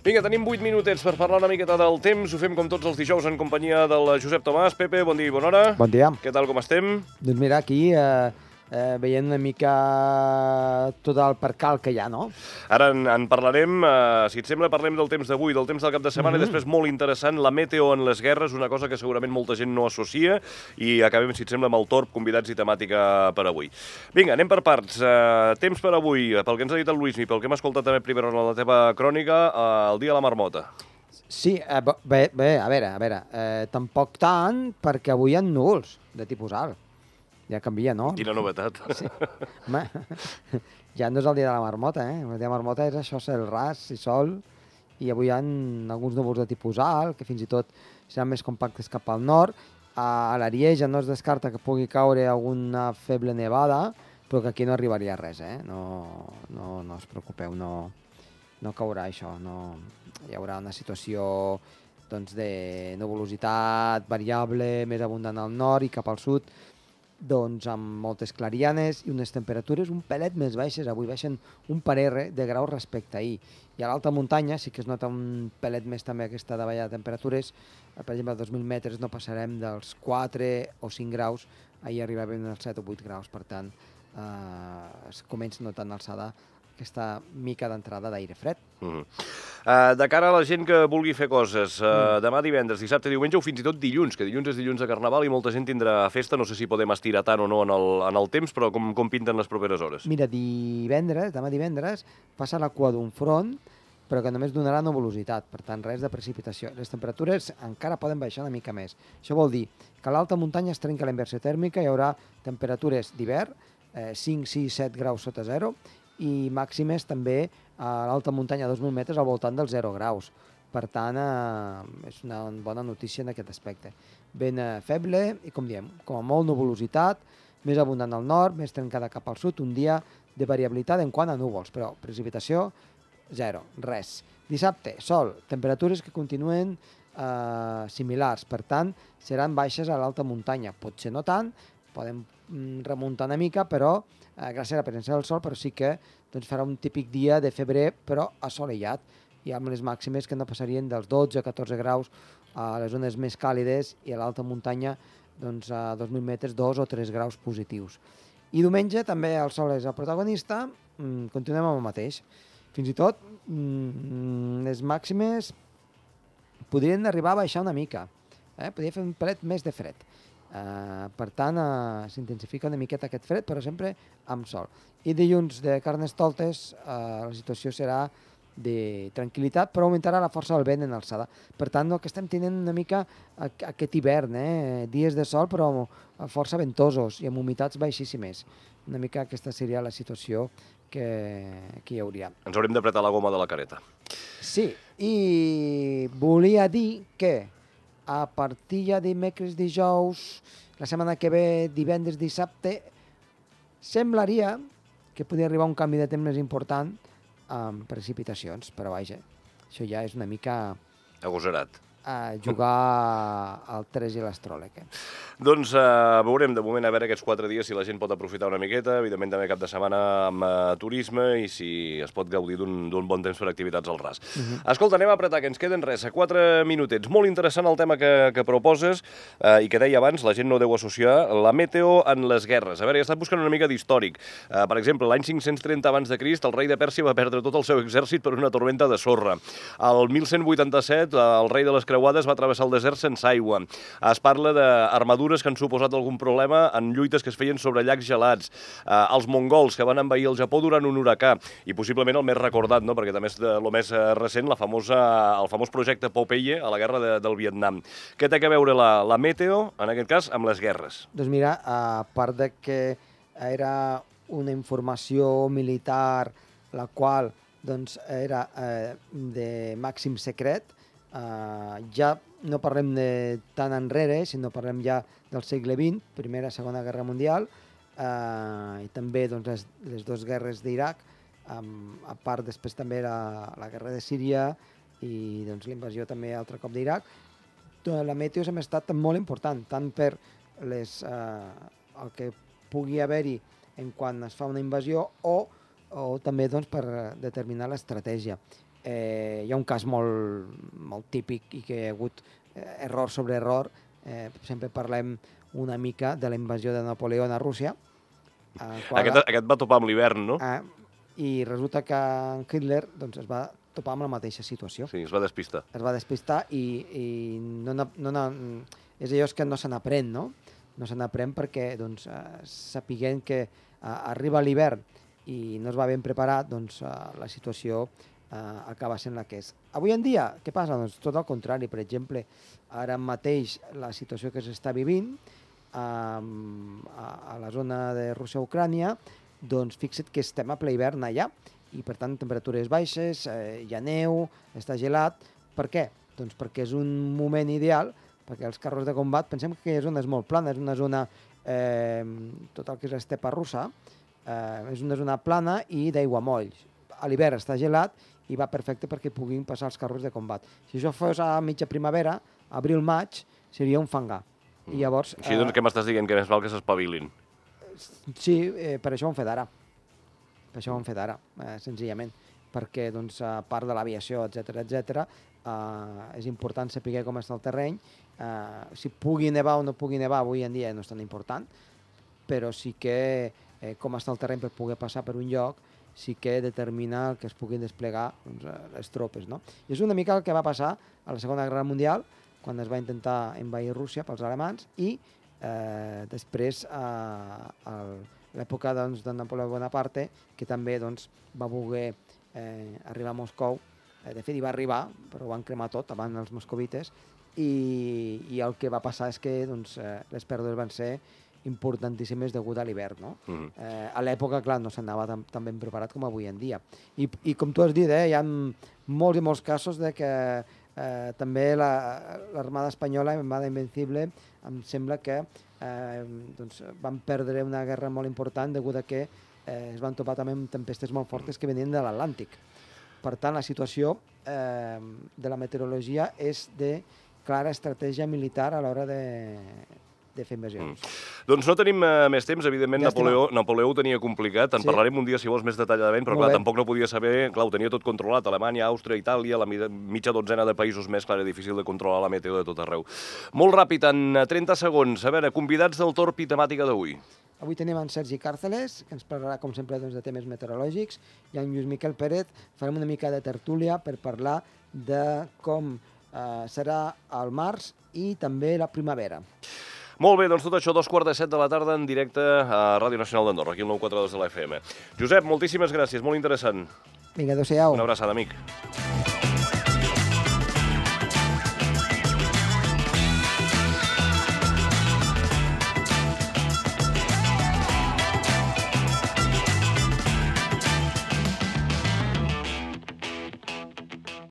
Vinga, tenim 8 minutets per parlar una miqueta del temps. Ho fem com tots els dijous en companyia del Josep Tomàs. Pepe, bon dia i bona hora. Bon dia. Què tal, com estem? Doncs mira, aquí veient una mica tot el percal que hi ha, no? Ara en parlarem, si et sembla, parlem del temps d'avui, del temps del cap de setmana, i després, molt interessant, la meteo en les guerres, una cosa que segurament molta gent no associa, i acabem, si et sembla, amb el torb, convidats i temàtica per avui. Vinga, anem per parts. Temps per avui, pel que ens ha dit el Luismi, pel que hem escoltat també primera en la teva crònica, el dia de la marmota. Sí, bé, a veure, tampoc tant, perquè avui hi ha núvols de tipus alt. Ja canvia, no? Quina novetat. Sí. Home, ja no és el dia de la marmota, eh? El dia de la marmota és això, cel ras i sol, i avui hi ha alguns núvols de tipus alt, que fins i tot seran més compactes cap al nord. A l'Arieja no es descarta que pugui caure alguna feble nevada, però que aquí no arribaria res, eh? No us preocupeu, no caurà això, no. Hi haurà una situació doncs, de nuvolositat variable, més abundant al nord i cap al sud, doncs amb moltes clarianes i unes temperatures un pelet més baixes. Avui baixen un parell de graus respecte a ahir. I a l'alta muntanya sí que es nota un pelet més també aquesta davallada de temperatures. Per exemple, a 2.000 metres no passarem dels 4 o 5 graus. Ahir arribaven als 7 o 8 graus. Per tant, es comença notant alçada aquesta mica d'entrada d'aire fred. De cara a la gent que vulgui fer coses, demà divendres, dissabte, diumenge o fins i tot dilluns, que dilluns és dilluns de Carnaval i molta gent tindrà festa, no sé si podem estirar tant o no en el temps, però com pinten les properes hores? Mira, demà divendres, passa la cua d'un front, però que només donarà nuvolositat, per tant, res de precipitació. Les temperatures encara poden baixar una mica més. Això vol dir que a l'alta muntanya es trenca la inversió tèrmica, hi haurà temperatures d'hivern, 5, 6, 7 graus sota zero, i màximes també a l'alta muntanya a 2.000 metres al voltant dels 0 graus. Per tant, és una bona notícia en aquest aspecte. Vent feble i, com diem, com a molt nuvolositat, més abundant al nord, més trencada cap al sud, un dia de variabilitat en quant a núvols, però precipitació, zero, res. Dissabte, sol, temperatures que continuen similars, per tant, seran baixes a l'alta muntanya. Potser no tant, podem remuntar una mica, però gràcies a la presència del sol, però sí que doncs, farà un típic dia de febrer, però assolellat, i amb les màximes que no passarien dels 12 a 14 graus a les zones més càlides i a l'alta muntanya doncs, a 2.000 metres 2 o 3 graus positius. I diumenge també el sol és el protagonista, continuem amb el mateix. Fins i tot les màximes podrien arribar a baixar una mica, podria fer un pelet més de fred. Per tant, s'intensifica una miqueta aquest fred, però sempre amb sol. I dilluns de Carnestoltes la situació serà de tranquil·litat, però augmentarà la força del vent en alçada. Per tant, el que estem tenint una mica aquest hivern, dies de sol però força ventosos i amb humitats baixíssimes. Una mica aquesta seria la situació que hi hauria. Ens haurem d'apretar la goma de la careta. Sí, i volia dir que a partir ja dimecres, dijous, la setmana que ve, divendres, dissabte, semblaria que podria arribar un canvi de temps més important amb precipitacions, però vaja, això ja és una mica Agosarat. a jugar al 3 i l'astròleg. Doncs veurem de moment a veure aquests 4 dies si la gent pot aprofitar una miqueta, evidentment també cap de setmana amb turisme i si es pot gaudir d'un bon temps per activitats al ras. Escolta, anem a apretar, que ens queden res, a 4 minutets. Molt interessant el tema que proposes i que deia abans, la gent no deu associar la meteo en les guerres. A veure, he estat buscant una mica d'històric. Per exemple, l'any 530 abans de Crist, el rei de Pèrsia va perdre tot el seu exèrcit per una tormenta de sorra. El 1187, el rei de les creuades va travessar el desert sense aigua. Es parla d'armadures que han suposat algun problema en lluites que es feien sobre llacs gelats. Els mongols que van envair el Japó durant un huracà. I possiblement el més recordat, no? Perquè també és el més recent, el famós projecte Popeye a la guerra del Vietnam. Què té a veure la meteo, en aquest cas, amb les guerres? Doncs mira, a part de que era una informació militar la qual doncs, era de màxim secret, ja no parlem de tan enrere, sinó parlem ja del segle XX, Primera i Segona Guerra Mundial, i també doncs, les dues guerres d'Iraq, a part després també la guerra de Síria i doncs, l'invasió també altre cop d'Iraq. La meteo sempre ha estat molt important, tant per el que pugui haver-hi en quan es fa una invasió o també doncs, per determinar l'estratègia. hi ha un cas molt típic i que hi ha hagut error sobre error. Sempre parlem una mica de la invasió de Napoleó a Rússia. Aquest va topar amb l'hivern, no? I resulta que en Hitler doncs, es va topar amb la mateixa situació. Sí, es va despistar. Es va despistar i és allò que no se n'aprèn, no? No se n'aprèn perquè doncs, sapiguem que arriba l'hivern i no es va ben preparat, doncs la situació acaba sent la que és. Avui en dia, què passa? Doncs tot el contrari. Per exemple, ara mateix la situació que s'està vivint a la zona de Rússia-Ucrània, doncs fixa't que estem a ple hivern allà i per tant temperatures baixes, hi ha neu, està gelat. Per què? Doncs perquè és un moment ideal, perquè els carros de combat, pensem que aquella zona és molt plana, és una zona, tot el que és l'estepa russa, és una zona plana i d'aiguamolls. A l'hivern està gelat i va perfecte perquè puguin passar els carros de combat. Si això fos a mitja primavera, abril-maig, seria un fangar. I llavors... Així doncs què m'estàs dient? Que més val que s'espavilin? Sí, per això ho han fet ara. Per això ho han fet ara, senzillament. Perquè, doncs, a part de l'aviació, etc, és important saber com està el terreny. Si pugui nevar o no pugui nevar, avui en dia no és tan important, però sí que com està el terreny per poder passar per un lloc, sí que determina que es puguin desplegar doncs, les tropes. No? I és una mica el que va passar a la Segona Guerra Mundial, quan es va intentar envair Rússia pels alemans, i després a l'època doncs, de Napoleó Bonaparte, que també doncs, va voler arribar a Moscou. De fet, hi va arribar, però ho van cremar tot abans els moscovites, i el que va passar és que doncs, les pèrdues van ser importantíssimes degut a l'hivern. No? A l'època, clar, no s'anava tan ben preparat com avui en dia. I com tu has dit, hi ha molts i molts casos de que també l'Armada Espanyola, l'Armada Invencible, em sembla que doncs, van perdre una guerra molt important degut a que es van topar també amb tempestes molt fortes que venien de l'Atlàntic. Per tant, la situació de la meteorologia és de clara estratègia militar a l'hora de fer invasions. Doncs no tenim més temps, evidentment Napoleó ho tenia complicat, en parlarem un dia si vols més detalladament, però clar, tampoc no podia saber, clar, ho tenia tot controlat, Alemanya, Àustria, Itàlia, la mitja dotzena de països més, clar, era difícil de controlar la meteo de tot arreu. Molt ràpid, en 30 segons, a veure, convidats del torn i temàtica d'avui. Avui tenim en Sergi Càrceles, que ens parlarà, com sempre, doncs, de temes meteorològics, i en Lluís Miquel Pérez farem una mica de tertúlia per parlar de com serà el març i també la primavera. Molt bé, doncs tot això, 2:45 de la tarda en directe a Ràdio Nacional d'Andorra, aquí al 942 de la FM. Josep, moltíssimes gràcies, molt interessant. Vinga, adéu-siau. Una abraçada, amic.